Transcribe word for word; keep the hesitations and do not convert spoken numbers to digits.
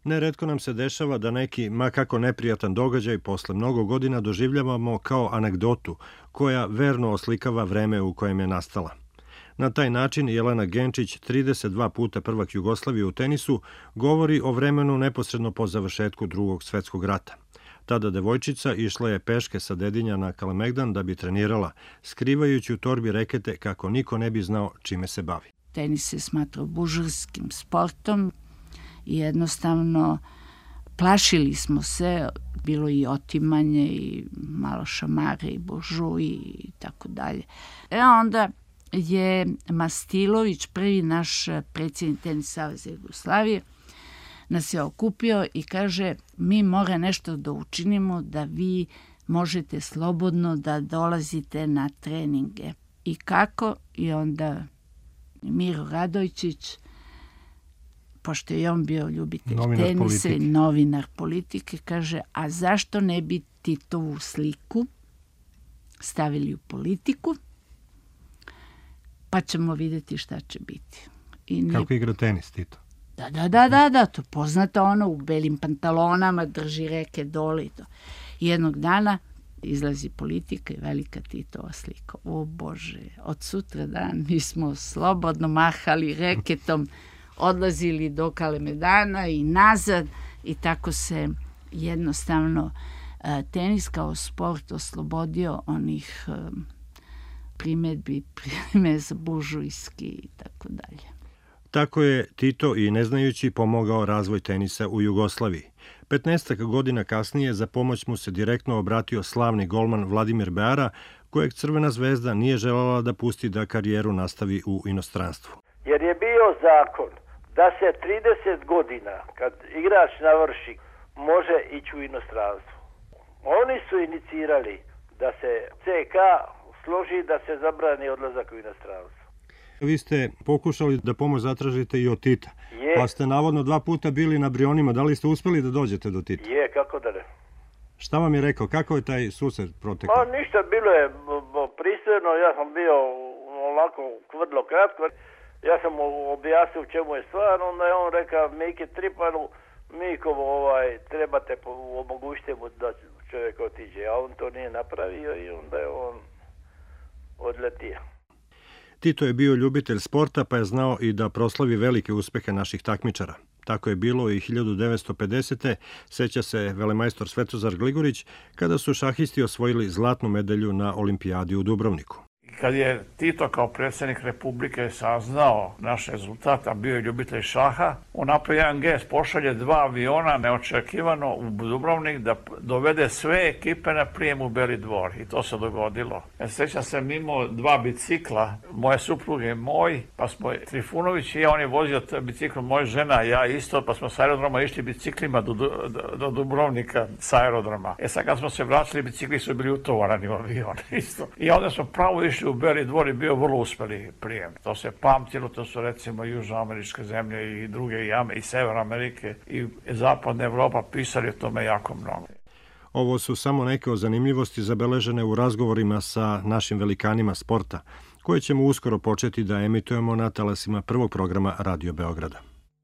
Neretko nam se dešava da neki, ma kako neprijatan događaj, posle mnogo godina doživljavamo kao anegdotu, koja verno oslikava vreme u kojem je nastala. Na taj način Jelena Genčić, trideset dva puta prvak Jugoslavije u tenisu, govori o vremenu neposredno po završetku Drugog svetskog rata. Tada devojčica išla je peške sa Dedinja na Kalemegdan da bi trenirala, skrivajući u torbi rekete kako niko ne bi znao čime se bavi. Tenis se smatrao buržurskim sportom i jednostavno plašili smo se, bilo i otimanje i malo šamare i buržuji i tako dalje. E onda je Mastilović, prvi naš predsjednik Tenis saveza Jugoslavije, nas je okupio i kaže mi mora nešto da učinimo da vi možete slobodno da dolazite na treninge. I kako? I onda Miro Radojčić, pošto je on bio ljubitelj novinar tenisa politike. i novinar politike, kaže, a zašto ne bi Titovu sliku stavili u politiku, pa ćemo vidjeti šta će biti. I nije... Kako igra tenis, Tito? Da, da, da, da, da, to poznato ono, u belim pantalonama, drži reke dole i to. I jednog dana izlazi politika i velika Titova slika. O Bože, od sutra dan mi smo slobodno mahali reketom, odlazili do Kalemegdana i nazad i tako se jednostavno tenis kao sport oslobodio onih primedbi, primeza buržujski i tako dalje. Tako je Tito i neznajući pomogao razvoj tenisa u Jugoslaviji. Petnaestak godina kasnije za pomoć mu se direktno obratio slavni golman Vladimir Beara, kojeg Crvena zvezda nije želela da pusti da karijeru nastavi u inostranstvu. Jer je bio zakon da se trideset godina, kad igrač navrši, može ići u inostranstvo. Oni su inicirali da se C K složi da se zabrani odlazak u inostranstvo. Vi ste pokušali da pomoć zatražite i od Tita, je. Pa ste navodno dva puta bili na Brionima. Da li ste uspeli da dođete do Tita? Je, kako da ne. Šta vam je rekao? Kako je taj susret protekao? Ma ništa, bilo je pristojno, ja sam bio onako vrlo kratko. Ja sam mu objasnio u čemu je stvar, onda je on rekao Miki Tripanu, Mikovo, ovaj, trebate omogućiti mu da čovjek otiđe, a on to nije napravio i onda je on odletio. Tito je bio ljubitelj sporta, pa je znao i da proslavi velike uspehe naših takmičara. Tako je bilo i hiljadu devetsto pedesete. seća se velemajstor Svetozar Gligorić, kada su šahisti osvojili zlatnu medalju na olimpijadi u Dubrovniku. Kad je Tito kao predsjednik Republike saznao naš rezultat, a bio je ljubitelj šaha, on napravi jedan gest, pošalje dva aviona neočekivano u Dubrovnik da dovede sve ekipe na prijem u Beli dvor. I to se dogodilo. Ja sećam se mimo dva bicikla, moje supruge i moj, pa smo Trifunović i ja, on je vozio bicikl, moja žena i ja isto, pa smo s aerodroma išli biciklima do, do, do Dubrovnika s aerodroma. E sad kad smo se vraćali, bicikli su bili utovarani u avion isto. I onda smo pravo išli u Beli dvor i bio vrlo uspeli prijem. To se pamtilo, to su recimo južnoameričke zemlje i druge i, i Sever Amerike i zapadna Evropa pisali o tome jako mnogo. Ovo su samo neke od zanimljivosti zabeležene u razgovorima sa našim velikanima sporta, koje ćemo uskoro početi da emitujemo na talasima prvog programa Radio Beograda.